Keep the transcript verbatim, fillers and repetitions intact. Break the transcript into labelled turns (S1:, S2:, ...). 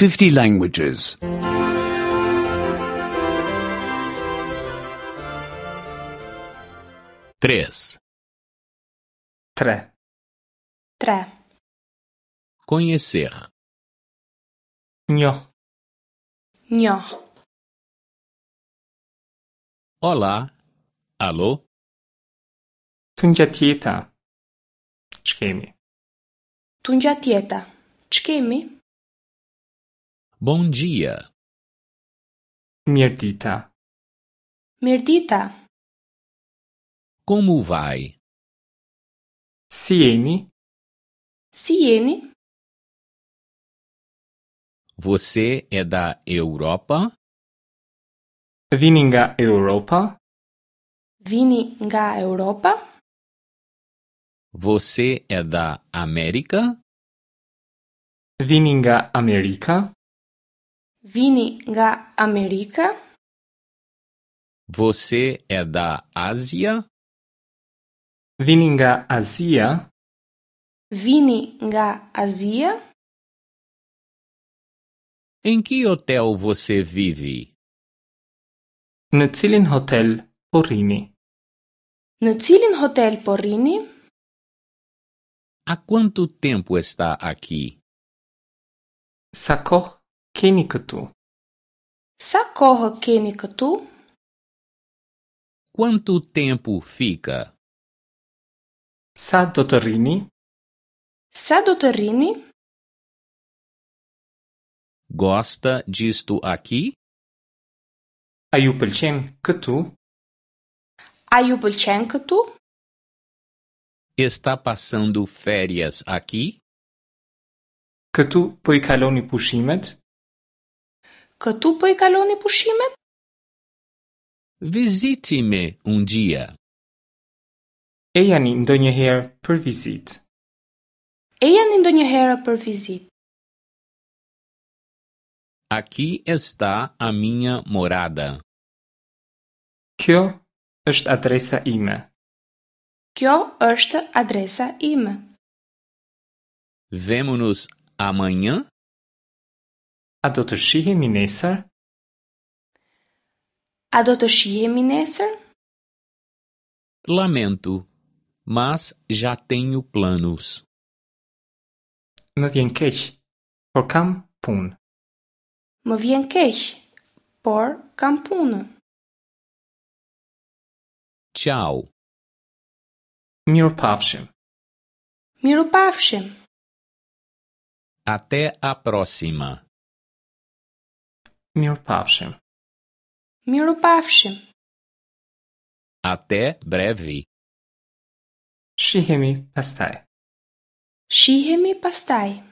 S1: fifty languages.
S2: três.
S3: Tre.
S4: Tre.
S2: Conhecer.
S3: Njoh.
S4: Njoh.
S2: Olá. Alô?
S3: Tungjatjeta. Ç'kemi?
S4: Tungjatjeta. Ç'kemi?
S2: Bom dia.
S3: Mirëdita.
S4: Mirëdita.
S2: Como vai?
S3: Si jeni?
S4: Si jeni?
S2: Você é da Europa?
S3: Vini nga Europa?
S4: Vini nga Europa?
S2: Você é da América?
S3: Vini nga Amerika?
S4: Vini nga Amerika?
S2: Você é da Ásia?
S3: Vini nga Azia?
S4: Vini nga Azia?
S2: Em que hotel você vive?
S3: Në cilin hotel po rrini?
S4: Në cilin hotel po rrini?
S2: Há quanto tempo está aqui?
S3: Sa kohë keni këtu?
S4: Sa kohë keni këtu?
S2: Quanto tempo fica?
S3: Sa do të rrini?
S4: Sa do të rrini?
S2: Gosta disto aqui?
S3: A ju pëlqen këtu?
S4: A ju pëlqen këtu?
S2: Está passando férias aqui?
S3: Këtu po i kaloni pushimet?
S4: Këtu po i kaloni pushimet?
S2: Visite-me um dia.
S3: Ejani ndonjëherë për vizitë.
S4: Ejani ndonjëherë për vizitë.
S2: Aqui está a minha morada.
S3: Kjo është adresa ime.
S4: Kjo është adresa ime.
S2: Vemo-nos amanhã?
S3: A do të shihemi nesër?
S4: A do të shihemi nesër?
S2: Lamento, mas já tenho planos.
S3: Më vjen keq, por kam punë.
S4: Më vjen keq, por kam punë.
S2: Tchau.
S3: Mirupafshim.
S4: Mirupafshim.
S2: Até a próxima.
S3: Mirupafshim.
S4: Mirupafshim.
S2: Até breve.
S3: Shihemi pastaj.
S4: Shihemi pastaj.